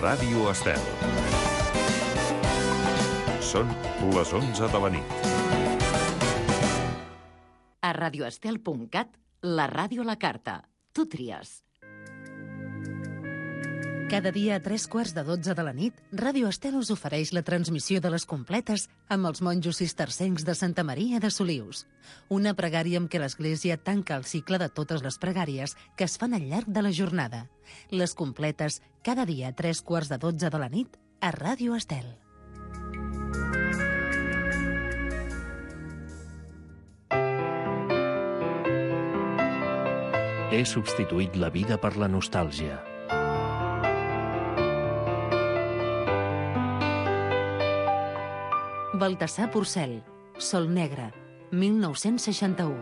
Ràdio Estel. Són les 11 de la nit. A radioestel.cat, la ràdio a la carta. Tu tries. Cada dia a 11:45 de la nit, Ràdio Estel us ofereix la transmissió de les completes amb els monjos cistercencs de Santa Maria de Solius. Una pregària amb què l'Església tanca el cicle de totes les pregàries que es fan al llarg de la jornada. Les completes, cada dia a 11:45 de la nit, a Ràdio Estel. He substituït la vida per la nostàlgia. Baltasar Porcel, Sol Negre, 1961.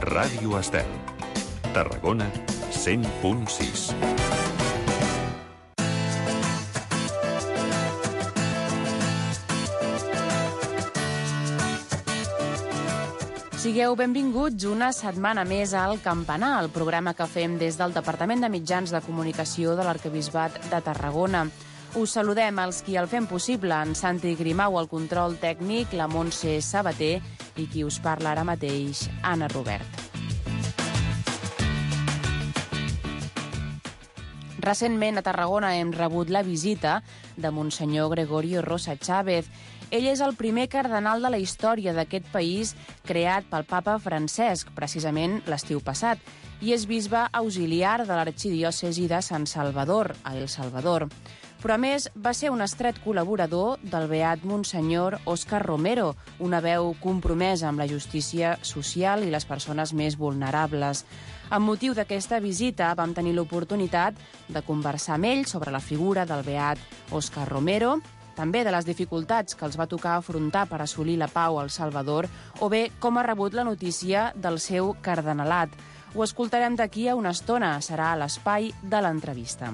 Ràdio Estel. Tarragona, 100.6. Sigueu benvinguts una setmana més al Campanar, el programa que fem des del Departament de Mitjans de Comunicació de l'Arquebisbat de Tarragona. Us saludem els qui el fem possible, en Santi Grimau al control tècnic, la Montse Sabater i qui us parla ara mateix, Anna Robert. Recentment a Tarragona hem rebut la visita de Monsenyor Gregorio Rosa Chávez. Ell és el primer cardenal de la història d'aquest país creat pel papa Francesc, precisament l'estiu passat, i és bisbe auxiliar de l'arxidiòcesi de Sant Salvador, a El Salvador. Però a més va ser un estret col·laborador del beat Monsenyor Òscar Romero, una veu compromesa amb la justícia social i les persones més vulnerables. Amb motiu d'aquesta visita vam tenir l'oportunitat de conversar amb ell sobre la figura del beat Òscar Romero, també de les dificultats que els va tocar afrontar per assolir la pau al Salvador, o bé com ha rebut la notícia del seu cardenalat. Ho escoltarem d'aquí a una estona, serà a l'espai de l'entrevista.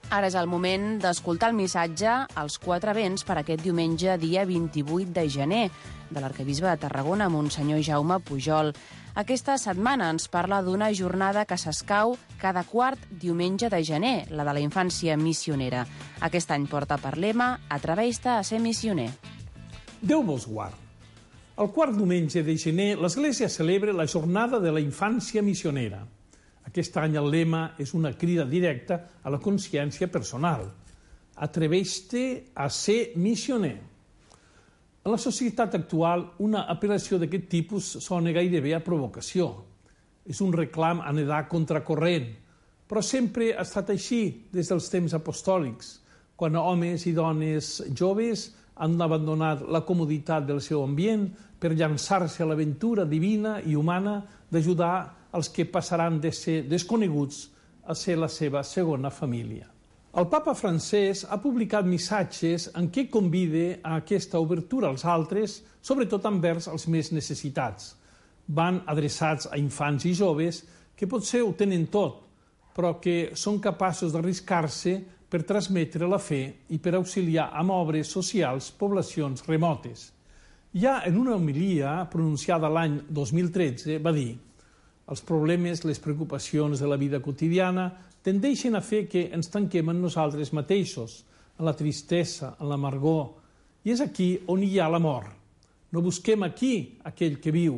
Ara és el moment d'escoltar el missatge als quatre vents per aquest diumenge, dia 28 de gener, de l'arquebisbe de Tarragona, Monsenyor Jaume Pujol. Aquesta setmana ens parla d'una jornada que s'escau cada quart diumenge de gener, la de la infància missionera. Aquest any porta per lema «Atreveix-te a ser missioner». Déu vos guard. El quart diumenge de gener l'Església celebra la jornada de la infància missionera. Aquest any el lema és una crida directa a la consciència personal. Atreveix-te a ser missioner. En la societat actual, una apel·lació d'aquest tipus sona gairebé a provocació. És un reclam a nedar contracorrent, però sempre ha estat així des dels temps apostòlics, quan homes i dones joves han abandonat la comoditat del seu ambient per llançar-se a l'aventura divina i humana d'ajudar els que passaran de ser desconeguts a ser la seva segona família. El papa francès ha publicat missatges en què convida a aquesta obertura als altres, sobretot envers els més necessitats. Van adreçats a infants i joves que potser ho tenen tot, però que són capaços d'arriscar-se per transmetre la fe i per auxiliar amb obres socials poblacions remotes. Ja en una homilia pronunciada l'any 2013 va dir: els problemes, les preocupacions de la vida quotidiana tendeixen a fer que ens tanquem en nosaltres mateixos, en la tristesa, en l'amargor, i és aquí on hi ha l'amor. No busquem aquí aquell que viu.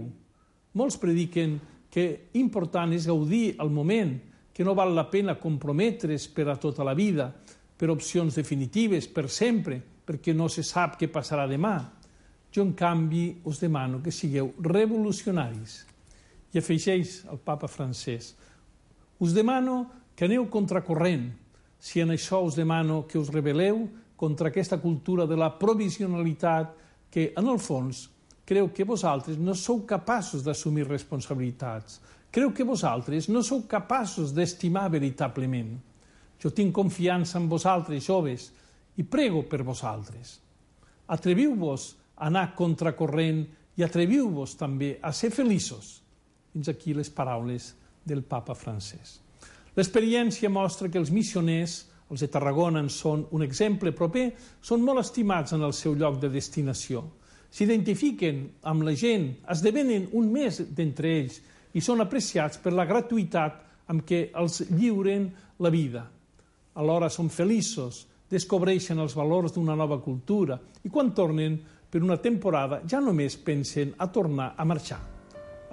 Molts prediquen que important és gaudir el moment, que no val la pena comprometre's per a tota la vida, per opcions definitives, per sempre, perquè no se sap què passarà demà. Jo, en canvi, us demano que sigueu revolucionaris. I afegeix el papa francès: us demano que aneu contracorrent. Si en això us demano que us rebel·leu contra aquesta cultura de la provisionalitat que, en el fons, creu que vosaltres no sou capaços d'assumir responsabilitats. Creu que vosaltres no sou capaços d'estimar veritablement. Jo tinc confiança en vosaltres, joves, i prego per vosaltres. Atreviu-vos a anar contracorrent i atreviu-vos també a ser feliços. Fins aquí les paraules del papa francès. L'experiència mostra que els missioners, els de Tarragona en són un exemple proper, són molt estimats en el seu lloc de destinació. s'identifiquen amb la gent, esdevenen un més d'entre ells i són apreciats per la gratuïtat amb què els lliuren la vida. Alhora són feliços, descobreixen els valors d'una nova cultura i quan tornen per una temporada ja només pensen a tornar a marxar.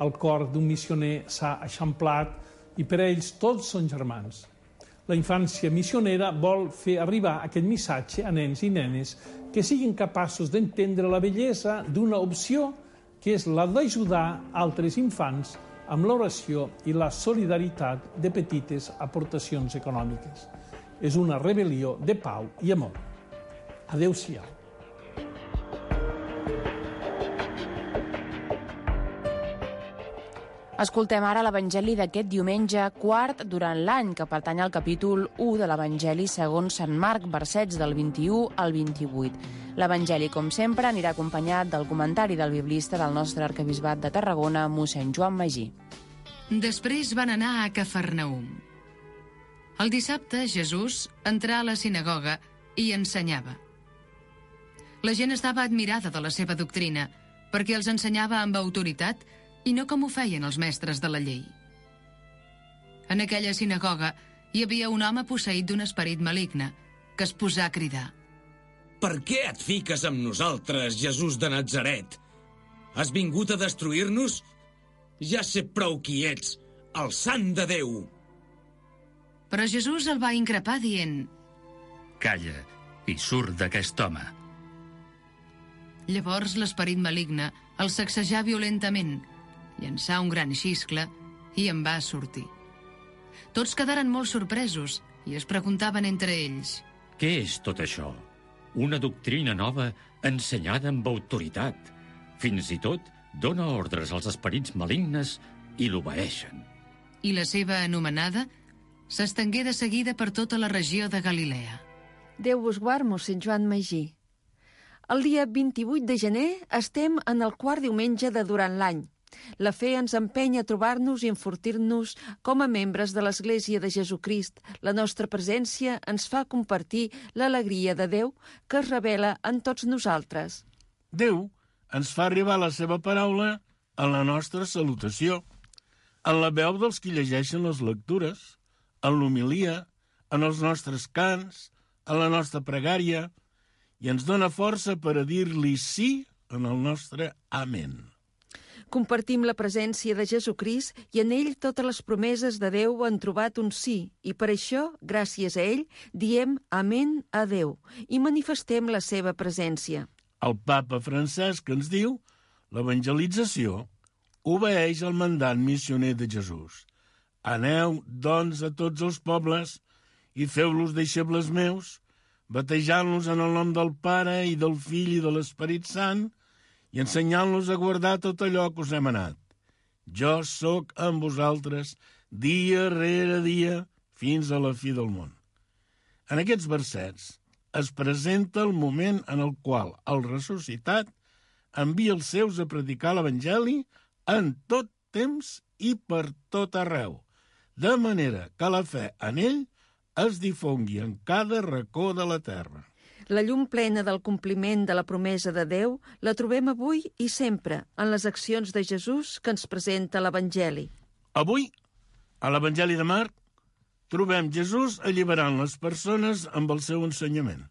El cor d'un missioner s'ha eixamplat i per ells tots són germans. La infància missionera vol fer arribar aquest missatge a nens i nenes que siguin capaços d'entendre la bellesa d'una opció que és la d'ajudar altres infants amb l'oració i la solidaritat de petites aportacions econòmiques. És una rebel·lió de pau i amor. Adéu-siau. Escoltem ara l'Evangeli d'aquest diumenge quart durant l'any, que pertany al capítol 1 de l'Evangeli segons Sant Marc, versets del 21 al 28. L'Evangeli, com sempre, anirà acompanyat del comentari del biblista del nostre arquebisbat de Tarragona, mossèn Joan Magí. Després van anar a Cafarnaum. El dissabte, Jesús entrà a la sinagoga i ensenyava. La gent estava admirada de la seva doctrina, perquè els ensenyava amb autoritat i no com ho feien els mestres de la llei. En aquella sinagoga hi havia un home posseït d'un esperit maligne, que es posà a cridar. Per què et fiques amb nosaltres, Jesús de Natzaret? Has vingut a destruir-nos? Ja sé prou qui ets, el sant de Déu. Però Jesús el va increpar dient: Calla i surt d'aquest home. Llavors l'esperit maligne el sacsejà violentament, llançà un gran xiscle i en va sortir. Tots quedaren molt sorpresos i es preguntaven entre ells: Què és tot això? Una doctrina nova ensenyada amb autoritat. Fins i tot dona ordres als esperits malignes i l'obeeixen. I la seva anomenada s'estengué de seguida per tota la regió de Galilea. Déu vos guard, mossèn Joan Magí. El dia 28 de gener estem en el quart diumenge de durant l'any. La fe ens empeny a trobar-nos i enfortir-nos com a membres de l'Església de Jesucrist. La nostra presència ens fa compartir l'alegria de Déu que es revela en tots nosaltres. Déu ens fa arribar la seva paraula en la nostra salutació, en la veu dels qui llegeixen les lectures, en l'homilia, en els nostres cants, en la nostra pregària, i ens dona força per a dir-li sí en el nostre amén. Compartim la presència de Jesucrist i en ell totes les promeses de Déu han trobat un sí i per això, gràcies a ell, diem amén a Déu i manifestem la seva presència. El papa Francesc ens diu: l'evangelització obeeix al mandat missioner de Jesús. Aneu, doncs, a tots els pobles i feu-los deixebles meus, batejant-los en el nom del Pare i del Fill i de l'Esperit Sant i ensenyant-los a guardar tot allò que us he manat. Jo sóc amb vosaltres dia rere dia fins a la fi del món. En aquests versets es presenta el moment en el qual el ressuscitat envia els seus a predicar l'Evangeli en tot temps i per tot arreu, de manera que la fe en ell es difongui en cada racó de la terra. La llum plena del compliment de la promesa de Déu la trobem avui i sempre en les accions de Jesús que ens presenta l'Evangeli. Avui, a l'Evangeli de Marc, trobem Jesús alliberant les persones amb el seu ensenyament.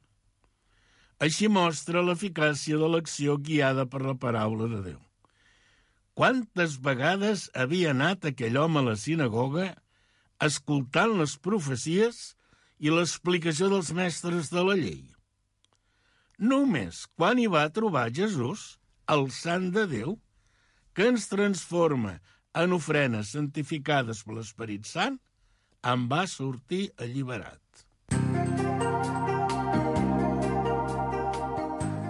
Així mostra l'eficàcia de l'acció guiada per la paraula de Déu. Quantes vegades havia anat aquell home a la sinagoga escoltant les profecies i l'explicació dels mestres de la llei? Només quan hi va trobar Jesús, el Sant de Déu, que ens transforma en ofrenes santificades per l'Esperit Sant, en va sortir alliberat.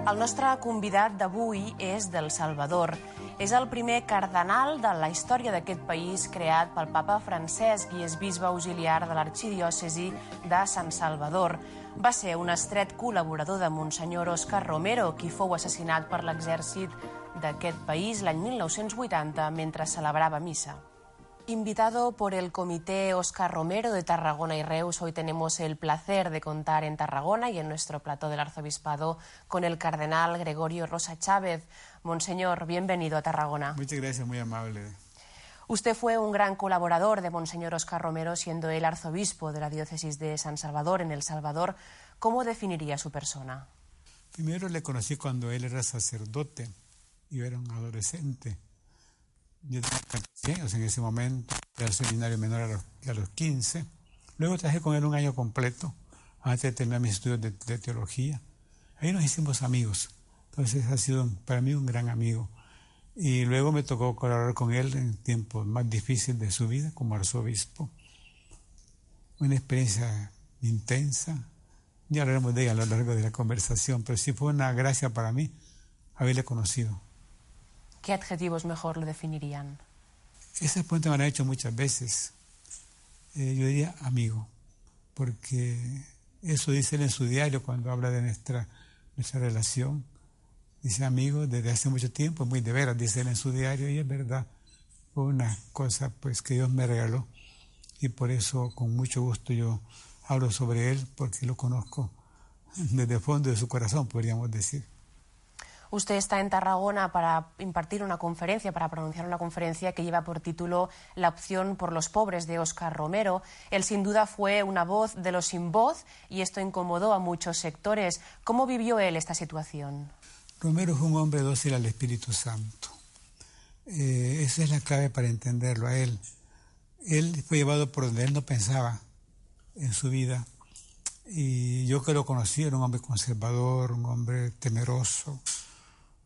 El nostre convidat d'avui és del Salvador. És el primer cardenal de la història d'aquest país creat pel papa Francesc i és bisbe auxiliar de l'arxidiòcesi de Sant Salvador. Va ser un estret col·laborador de Monsenyor Òscar Romero, qui fou assassinat per l'exèrcit d'aquest país l'any 1980 mentre celebrava missa. Invitado por el Comité Óscar Romero de Tarragona y Reus, hoy tenemos el placer de contar en Tarragona y en nuestro plató del Arzobispado con el cardenal Gregorio Rosa Chávez. Monseñor, bienvenido a Tarragona. Muchas gracias, muy amable. Usted fue un gran colaborador de Monseñor Óscar Romero, siendo él arzobispo de la diócesis de San Salvador, en El Salvador. ¿Cómo definiría su persona? Primero le conocí cuando él era sacerdote y yo era un adolescente. Yo tenía 14 años en ese momento, era el seminario menor a los 15. Luego trabajé con él un año completo, antes de terminar mis estudios de teología. Ahí nos hicimos amigos, entonces ha sido para mí un gran amigo. Y luego me tocó colaborar con él en tiempos más difíciles de su vida como arzobispo. Una experiencia intensa, ya hablaremos de ella a lo largo de la conversación, pero sí fue una gracia para mí haberle conocido. ¿Qué adjetivos mejor lo definirían? Ese punto me lo han hecho muchas veces. Yo diría amigo, porque eso dice él en su diario cuando habla de nuestra relación. Dice amigo desde hace mucho tiempo, muy de veras, dice él en su diario, y es verdad. Fue una cosa pues que Dios me regaló y por eso con mucho gusto yo hablo sobre él, porque lo conozco desde el fondo de su corazón, podríamos decir. Usted está en Tarragona para impartir una conferencia, para pronunciar una conferencia que lleva por título La opción por los pobres, de Óscar Romero. Él sin duda fue una voz de los sin voz y esto incomodó a muchos sectores. ¿Cómo vivió él esta situación? Romero fue un hombre dócil al Espíritu Santo. Esa es la clave para entenderlo a él. Él fue llevado por donde él no pensaba en su vida. Y yo que lo conocí, era un hombre conservador, un hombre temeroso,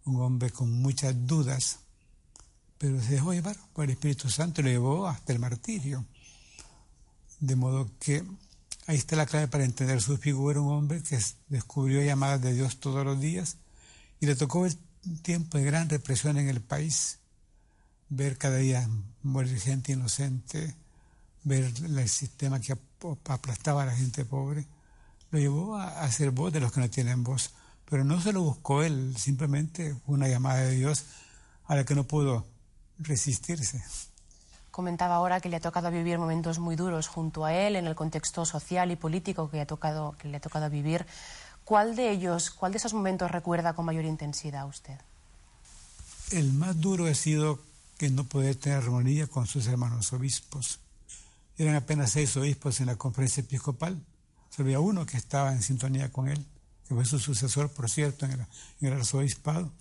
un hombre con muchas dudas, pero se dejó llevar por el Espíritu Santo y lo llevó hasta el martirio. De modo que ahí está la clave para entender su figura, un hombre que descubrió llamadas de Dios todos los días y le tocó el tiempo de gran represión en el país, ver cada día morir gente inocente, ver el sistema que aplastaba a la gente pobre. Lo llevó a ser voz de los que no tienen voz, pero no se lo buscó él, simplemente fue una llamada de Dios a la que no pudo resistirse. Comentaba ahora que le ha tocado vivir momentos muy duros junto a él en el contexto social y político que le ha tocado vivir. ¿Cuál de esos momentos recuerda con mayor intensidad a usted? El más duro ha sido que no poder tener armonía con sus hermanos obispos. Eran apenas 6 obispos en la conferencia episcopal. Solo había uno que estaba en sintonía con él, que fue su sucesor, por cierto, en el arzobispado.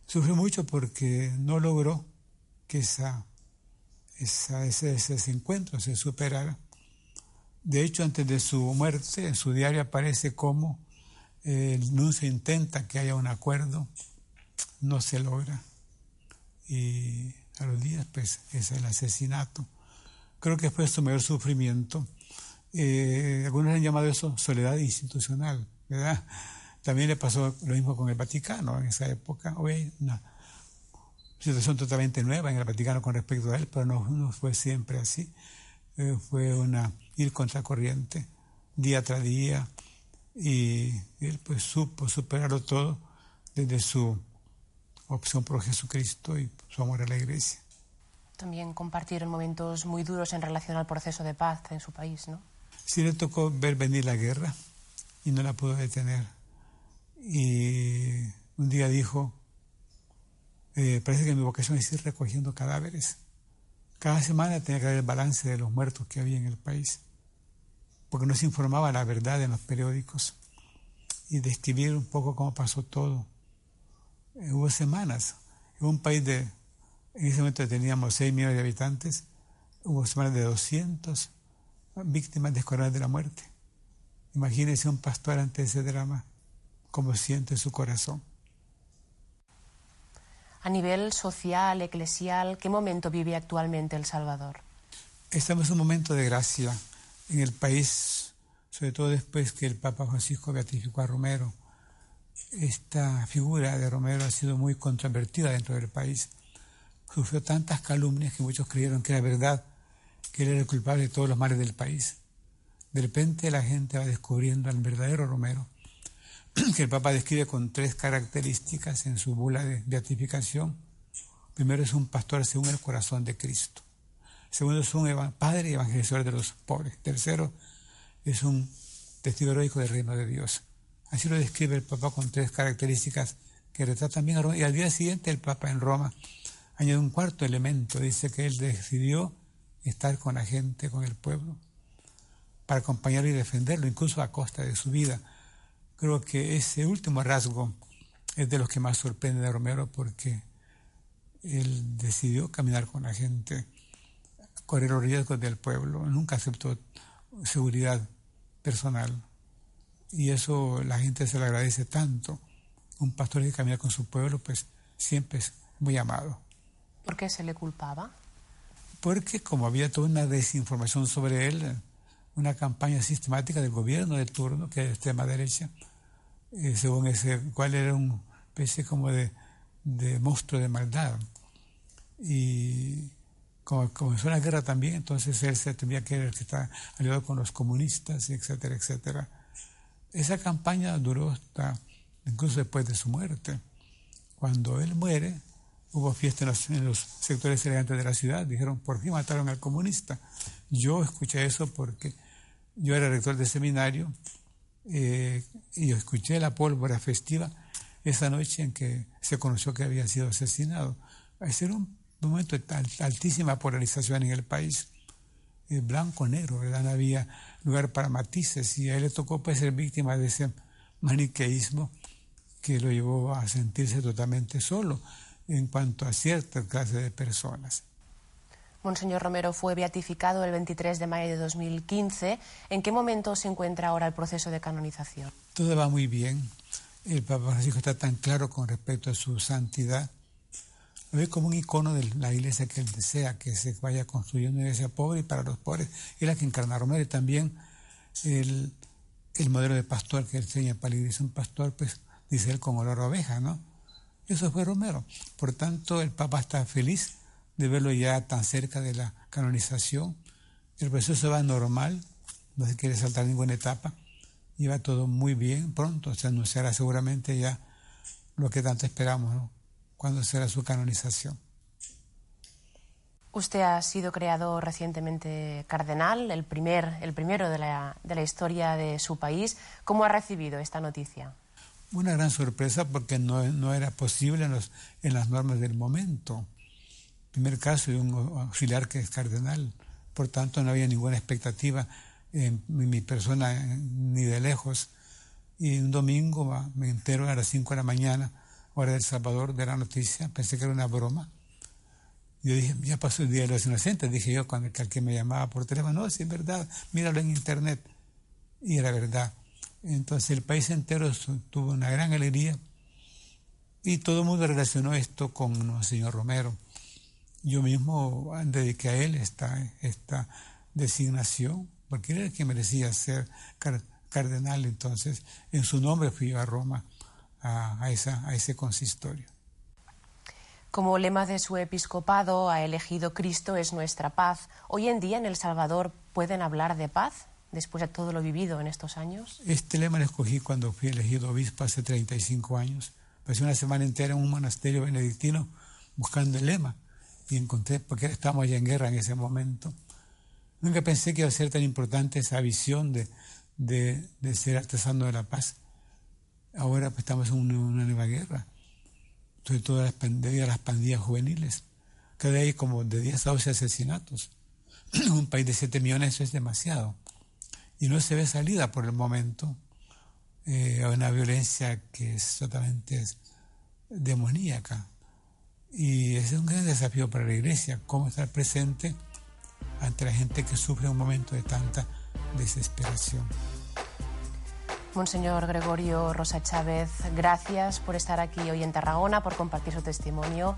Sufrió mucho porque no logró que ese desencuentro se superara. De hecho, antes de su muerte, en su diario aparece cómo el nuncio intenta que haya un acuerdo, no se logra. Y a los días, pues, es el asesinato. Creo que fue su mayor sufrimiento. Algunos han llamado eso soledad institucional, ¿verdad? También le pasó lo mismo con el Vaticano en esa época. Hoy hay una situación totalmente nueva en el Vaticano con respecto a él, pero no fue siempre así. Fue ir contracorriente día tras día, y él pues supo superarlo todo desde su opción por Jesucristo y su amor a la Iglesia. También compartieron momentos muy duros en relación al proceso de paz en su país, ¿no? Sí, le tocó ver venir la guerra y no la pudo detener. Y un día dijo, parece que mi vocación es ir recogiendo cadáveres. Cada semana tenía que haber el balance de los muertos que había en el país, porque no se informaba la verdad en los periódicos, y describir un poco cómo pasó todo. Hubo semanas, en un país en ese momento teníamos 6 millones de habitantes, hubo semanas de 200 víctimas descoronadas de la muerte. Imagínese un pastor ante ese drama, cómo siente su corazón. A nivel social, eclesial, ¿qué momento vive actualmente El Salvador? Estamos en un momento de gracia en el país, sobre todo después que el Papa Francisco beatificó a Romero. Esta figura de Romero ha sido muy controvertida dentro del país. Sufrió tantas calumnias que muchos creyeron que era verdad, que él era el culpable de todos los males del país. De repente la gente va descubriendo al verdadero Romero, que el Papa describe con 3 características en su bula de beatificación. Primero, es un pastor según el corazón de Cristo. Segundo, es un padre y evangelizador de los pobres. Tercero, es un testigo heroico del reino de Dios. Así lo describe el Papa con 3 características que retratan bien a Roma. Y al día siguiente el Papa en Roma añade un cuarto elemento. Dice que él decidió estar con la gente, con el pueblo, para acompañarlo y defenderlo, incluso a costa de su vida. Creo que ese último rasgo es de los que más sorprende a Romero, porque él decidió caminar con la gente, correr los riesgos del pueblo, nunca aceptó seguridad personal. Y eso la gente se le agradece tanto. Un pastor que camina con su pueblo, pues siempre es muy amado. ¿Por qué se le culpaba? Porque como había toda una desinformación sobre él, una campaña sistemática del gobierno de turno, que es de extrema derecha, según ese cual era una especie como de monstruo de maldad. Y como comenzó la guerra también, entonces él se tenía que estar aliado con los comunistas, etcétera, etcétera. Esa campaña duró hasta incluso después de su muerte. Cuando él muere, hubo fiesta en los sectores elegantes de la ciudad. Dijeron, por fin mataron al comunista. Yo escuché eso porque yo era rector de seminario y yo escuché la pólvora festiva esa noche en que se conoció que había sido asesinado. Ese era un momento de altísima polarización en el país. Blanco-negro, ¿verdad? No había lugar para matices y a él le tocó pues ser víctima de ese maniqueísmo que lo llevó a sentirse totalmente solo en cuanto a cierta clase de personas. Monseñor Romero fue beatificado el 23 de mayo de 2015. ¿En qué momento se encuentra ahora el proceso de canonización? Todo va muy bien. El Papa Francisco está tan claro con respecto a su santidad. Lo ve como un icono de la iglesia que él desea, que se vaya construyendo una iglesia pobre y para los pobres. Es la que encarna Romero, y también el modelo de pastor que él enseña para la iglesia. Un pastor, pues, dice él, con olor a oveja, ¿no? Eso fue Romero. Por tanto, el Papa está feliz de verlo ya tan cerca de la canonización. El proceso va normal, no se quiere saltar ninguna etapa, y va todo muy bien. Pronto se anunciará seguramente ya lo que tanto esperamos, ¿no? Cuándo será su canonización. Usted ha sido creado recientemente cardenal, el primero de la historia de su país. ¿Cómo ha recibido esta noticia? Una gran sorpresa, porque no era posible en las normas del momento. En primer caso, de un auxiliar que es cardenal, por tanto no había ninguna expectativa en mi persona ni de lejos. Y un domingo me entero a las 5 de la mañana, hora del Salvador, de la noticia. Pensé que era una broma. Yo dije, ya pasó el Día de los Inocentes, dije yo cuando el que me llamaba por teléfono. No, sí, es verdad, míralo en internet. Y era verdad. Entonces el país entero tuvo una gran alegría y todo el mundo relacionó esto con el señor Romero. Yo mismo dediqué a él esta designación, porque él era el que merecía ser cardenal. Entonces, en su nombre fui yo a Roma a ese consistorio. Como lema de su episcopado ha elegido Cristo es nuestra paz. Hoy en día en El Salvador, ¿pueden hablar de paz después de todo lo vivido en estos años? Este lema lo escogí cuando fui elegido obispo hace 35 años. Pasé una semana entera en un monasterio benedictino buscando el lema y encontré, porque estábamos ya en guerra en ese momento. Nunca pensé que iba a ser tan importante esa visión de ser artesano de la paz. Ahora pues, estamos en una nueva guerra, sobre todo debido a las pandillas juveniles. Cada día hay como de 10 a 12 asesinatos. En un país de 7 millones eso es demasiado. Y no se ve salida por el momento a una violencia que es totalmente demoníaca. Y ese es un gran desafío para la Iglesia, cómo estar presente ante la gente que sufre un momento de tanta desesperación. Monseñor Gregorio Rosa Chávez, gracias por estar aquí hoy en Tarragona, por compartir su testimonio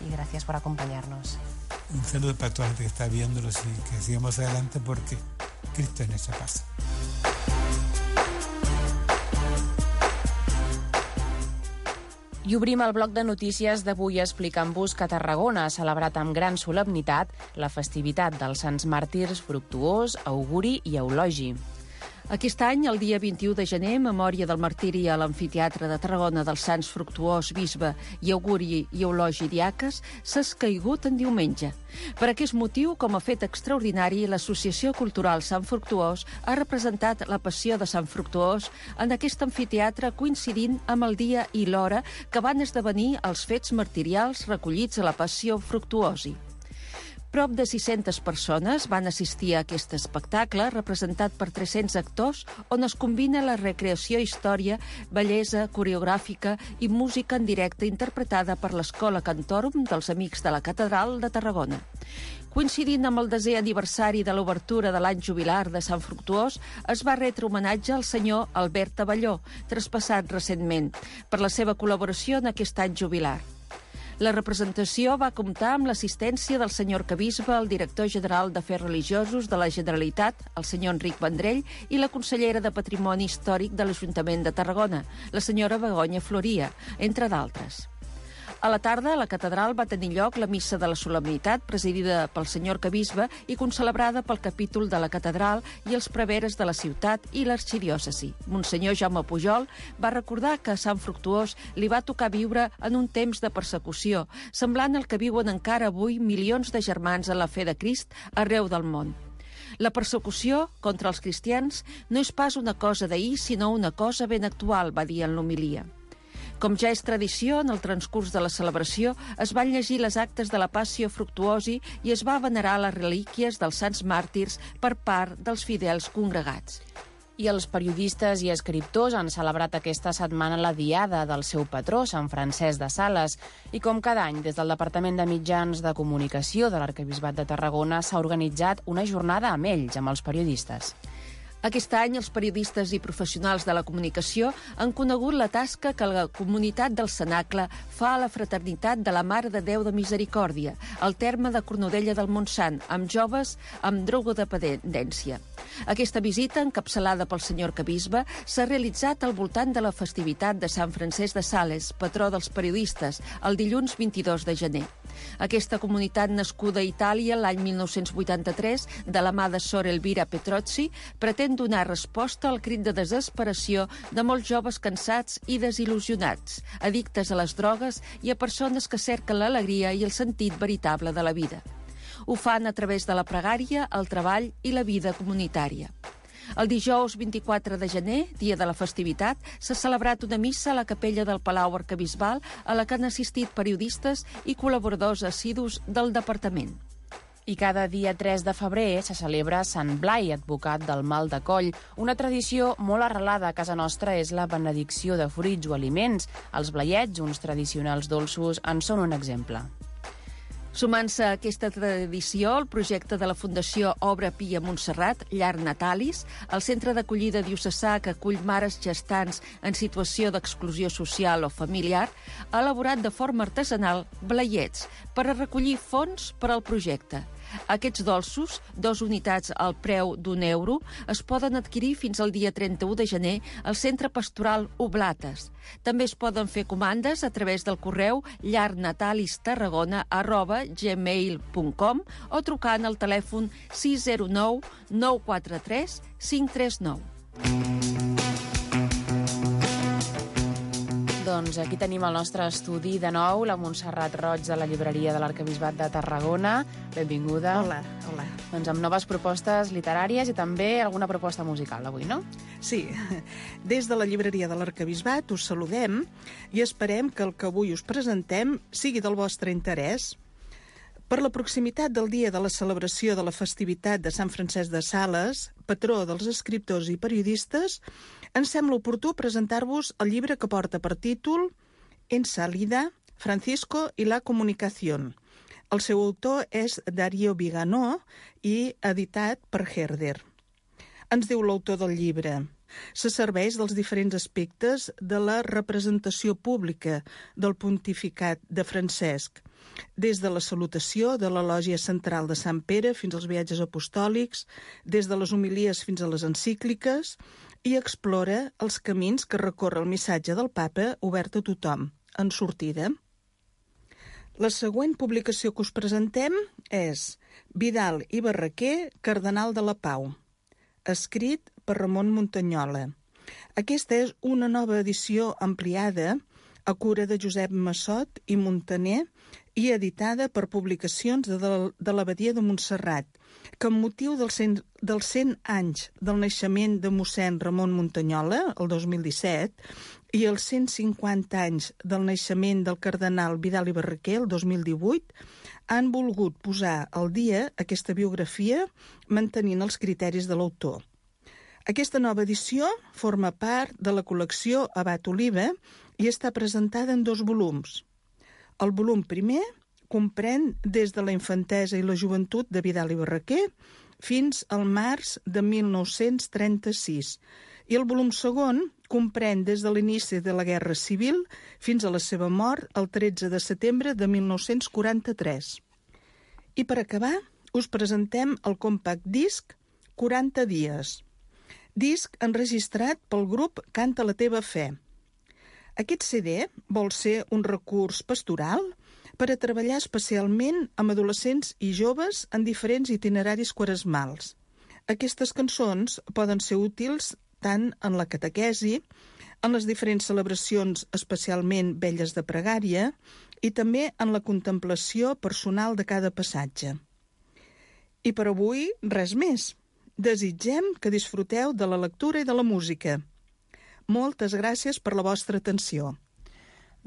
y gracias por acompañarnos. Un saludo para toda la gente que está viéndolos y que sigamos adelante porque Cristo es nuestra paz. I obrim el bloc de notícies d'avui explicant-vos que Tarragona ha celebrat amb gran solemnitat la festivitat dels Sants Màrtirs Fructuós, Auguri i Eulogi. Aquest any, el dia 21 de gener, en memòria del martiri a l'Amfiteatre de Tarragona dels Sants Fructuós, Bisbe i Auguri i Eulogi Diaques, s'ha escaigut en diumenge. Per aquest motiu, com a fet extraordinari, l'Associació Cultural Sant Fructuós ha representat la Passió de Sant Fructuós en aquest amfiteatre coincidint amb el dia i l'hora que van esdevenir els fets martirials recollits a la Passió Fructuosi. Prop de 600 persones van assistir a aquest espectacle representat per 300 actors on es combina la recreació, història, bellesa, coreogràfica i música en directe interpretada per l'Escola Cantorum dels Amics de la Catedral de Tarragona. Coincidint amb el 10è aniversari de l'obertura de l'any jubilar de Sant Fructuós, es va retre homenatge al senyor Albert Abelló, traspassat recentment, per la seva col·laboració en aquest any jubilar. La representació va comptar amb l'assistència del senyor arquebisbe, el director general d'Afers Religiosos de la Generalitat, el senyor Enric Vendrell, i la consellera de Patrimoni Històric de l'Ajuntament de Tarragona, la senyora Begoña Floria, entre d'altres. A la tarda, a la catedral va tenir lloc la missa de la solemnitat, presidida pel senyor arquebisbe i concelebrada pel capítol de la catedral i els preveres de la ciutat i l'arxidiòcesi. Monsenyor Jaume Pujol va recordar que a Sant Fructuós li va tocar viure en un temps de persecució, semblant al que viuen encara avui milions de germans en la fe de Crist arreu del món. La persecució contra els cristians no és pas una cosa d'ahir, sinó una cosa ben actual, va dir en l'homilia. Com ja és tradició, en el transcurs de la celebració es van llegir les actes de la Passió Fructuosi i es va venerar les relíquies dels sants màrtirs per part dels fidels congregats. I els periodistes i escriptors han celebrat aquesta setmana la diada del seu patró, Sant Francesc de Sales. I com cada any, des del Departament de Mitjans de Comunicació de l'Arquebisbat de Tarragona s'ha organitzat una jornada amb ells, amb els periodistes. Aquest any, els periodistes i professionals de la comunicació han conegut la tasca que la comunitat del Cenacle fa a la Fraternitat de la Mare de Déu de Misericòrdia, al terme de Cornudella del Montsant, amb joves amb drogodependència. Aquesta visita, encapçalada pel senyor arquebisbe, s'ha realitzat al voltant de la festivitat de Sant Francesc de Sales, patró dels periodistes, el dilluns 22 de gener. Aquesta comunitat nascuda a Itàlia l'any 1983, de la mà de Sor Elvira Petrozzi, pretén donar resposta al crit de desesperació de molts joves cansats i desil·lusionats, addictes a les drogues i a persones que cerquen l'alegria i el sentit veritable de la vida. Ho fan a través de la pregària, el treball i la vida comunitària. El dijous 24 de gener, dia de la festivitat, s'ha celebrat una missa a la capella del Palau Arquebisbal a la que han assistit periodistes i col·laboradors assidus del departament. I cada dia 3 de febrer se celebra Sant Blai, advocat del mal de coll. Una tradició molt arrelada a casa nostra és la benedicció de fruits o aliments. Els blaiets, uns tradicionals dolços, en són un exemple. Sumant-se a aquesta tradició, el projecte de la Fundació Obra Pia Montserrat, Llar Natalis, el centre d'acollida diocesà que acull mares gestants en situació d'exclusió social o familiar, ha elaborat de forma artesanal blaiets per a recollir fons per al projecte. Aquests dolços, 2 unitats al preu d'€1, es poden adquirir fins al dia 31 de gener al Centre Pastoral Oblates. També es poden fer comandes a través del correu llarnatalistarragona@gmail.com o trucant al telèfon 609 943 539. Doncs aquí tenim el nostre estudi de nou, la Montserrat Roig de la llibreria de l'Arquebisbat de Tarragona. Benvinguda. Hola, hola. Doncs amb noves propostes literàries i també alguna proposta musical avui, no? Sí, des de la llibreria de l'Arquebisbat us saludem i esperem que el que avui us presentem sigui del vostre interès. Per la proximitat del dia de la celebració de la festivitat de Sant Francesc de Sales, patró dels escriptors i periodistes, ens sembla oportú presentar-vos el llibre que porta per títol En salida, Francisco y la comunicación. El seu autor és Darío Viganó i editat per Herder. Ens diu l'autor del llibre: se serveix dels diferents aspectes de la representació pública del pontificat de Francesc, des de la salutació de la lògia central de Sant Pere fins als viatges apostòlics, des de les homilies fins a les encícliques, i explora els camins que recorre el missatge del papa obert a tothom, en sortida. La següent publicació que us presentem és Vidal i Barraquer, Cardenal de la Pau, escrit per Ramon Muntanyola. Aquesta és una nova edició ampliada a cura de Josep Massot i Montaner i editada per Publicacions de l'Abadia de Montserrat, que amb motiu dels 100 anys del naixement de mossèn Ramon Muntanyola, el 2017, i els 150 anys del naixement del cardenal Vidal i Barraquer, el 2018, han volgut posar al dia aquesta biografia mantenint els criteris de l'autor. Aquesta nova edició forma part de la col·lecció Abat Oliva i està presentada en 2 volums. El volum primer comprèn des de la infantesa i la joventut de Vidal i Barraquer fins al març de 1936, i el volum segon comprèn des de l'inici de la Guerra Civil fins a la seva mort el 13 de setembre de 1943. I per acabar, us presentem el compact disc 40 dies, disc enregistrat pel grup Canta la teva fe. Aquest CD vol ser un recurs pastoral per a treballar especialment amb adolescents i joves en diferents itineraris quaresmals. Aquestes cançons poden ser útils tant en la catequesi, en les diferents celebracions especialment velles de pregària i també en la contemplació personal de cada passatge. I per avui, res més. Desitgem que disfruteu de la lectura i de la música. Moltes gràcies per la vostra atenció.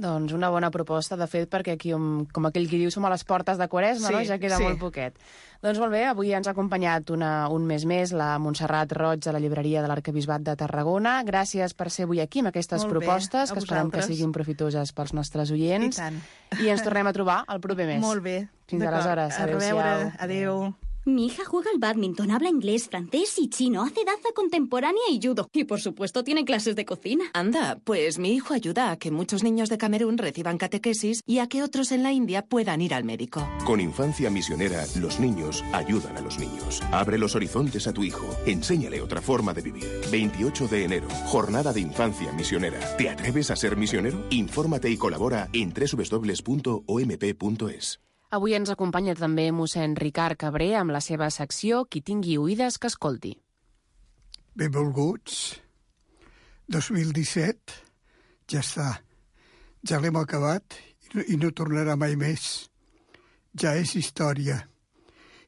Doncs una bona proposta, de fet, perquè aquí, com aquell qui diu, som a les portes de Quaresma, sí, no? Ja queda molt poquet. Doncs molt bé, avui ens ha acompanyat un mes més la Montserrat Roig de la llibreria de l'Arquebisbat de Tarragona. Gràcies per ser avui aquí amb aquestes propostes, que esperem que siguin profitoses pels nostres oients. I tant. I ens tornem a trobar el proper mes. Molt bé. Fins aleshores. A reveure. Adéu. Mi hija juega al bádminton, habla inglés, francés y chino, hace danza contemporánea y judo. Y, por supuesto, tiene clases de cocina. Anda, pues mi hijo ayuda a que muchos niños de Camerún reciban catequesis y a que otros en la India puedan ir al médico. Con Infancia Misionera, los niños ayudan a los niños. Abre los horizontes a tu hijo. Enséñale otra forma de vivir. 28 de enero, Jornada de Infancia Misionera. ¿Te atreves a ser misionero? Infórmate y colabora en www.omp.es. Avui ens acompanya també mossèn Ricard Cabré amb la seva secció Qui tingui oïdes que escolti. Benvolguts. 2017 ja està. Ja l'hem acabat i no tornarà mai més. Ja és història.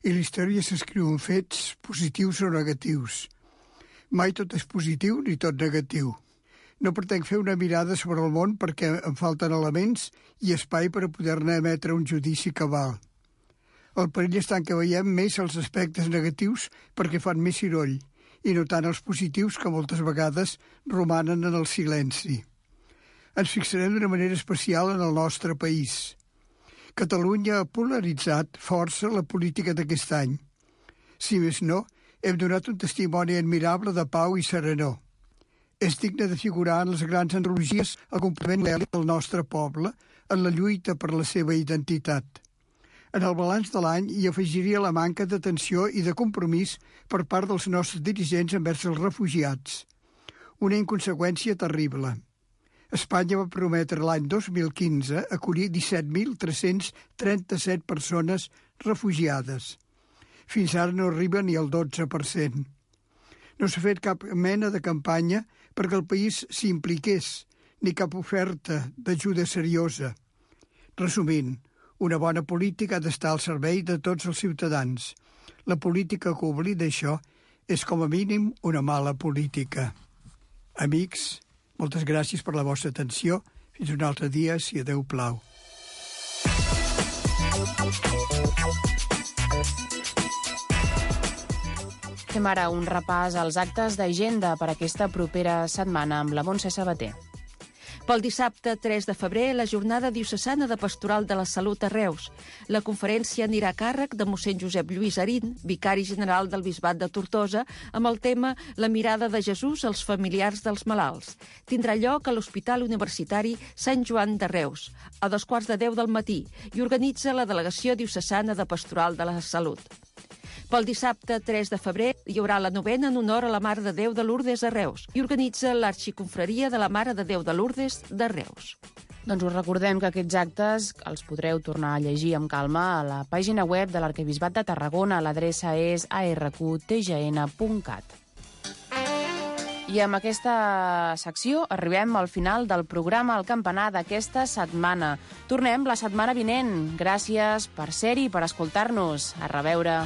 I la història s'escriu en fets positius o negatius. Mai tot és positiu ni tot negatiu. No pretenc fer una mirada sobre el món perquè em falten elements i espai per a poder-ne emetre un judici cabal. El perill està en que veiem més els aspectes negatius perquè fan més soroll i no tant els positius que moltes vegades romanen en el silenci. Ens fixarem d'una manera especial en el nostre país. Catalunya ha polaritzat força la política d'aquest any. Si més no, hem donat un testimoni admirable de pau i serenor. És digne de figurar en les grans analogies el compliment del nostre poble en la lluita per la seva identitat. En el balanç de l'any hi afegiria la manca d'atenció i de compromís per part dels nostres dirigents envers els refugiats. Una inconseqüència terrible. Espanya va prometre l'any 2015 acollir 17.337 persones refugiades. Fins ara no arriba ni al 12%. No s'ha fet cap mena de campanya perquè el país s'impliqués, ni cap oferta d'ajuda seriosa. Resumint, una bona política ha d'estar al servei de tots els ciutadans. La política que oblida això és com a mínim una mala política. Amics, moltes gràcies per la vostra atenció. Fins un altre dia, si a Déu plau. Fem ara un repàs als actes d'agenda per aquesta propera setmana amb la Montse Sabater. Pel dissabte 3 de febrer, la Jornada Diocesana de Pastoral de la Salut a Reus. La conferència anirà a càrrec de mossèn Josep Lluís Arín, vicari general del Bisbat de Tortosa, amb el tema La mirada de Jesús als familiars dels malalts. Tindrà lloc a l'Hospital Universitari Sant Joan de Reus, a 2:15 del matí, i organitza la Delegació Diocesana de Pastoral de la Salut. Pel dissabte 3 de febrer hi haurà la novena en honor a la Mare de Déu de Lourdes a Reus i organitza l'Arxiconfraria de la Mare de Déu de Lourdes de Reus. Doncs us recordem que aquests actes els podreu tornar a llegir amb calma a la pàgina web de l'Arquebisbat de Tarragona. L'adreça és arqtgn.cat. I amb aquesta secció arribem al final del programa El Campanar d'aquesta setmana. Tornem la setmana vinent. Gràcies per ser-hi i per escoltar-nos. A reveure.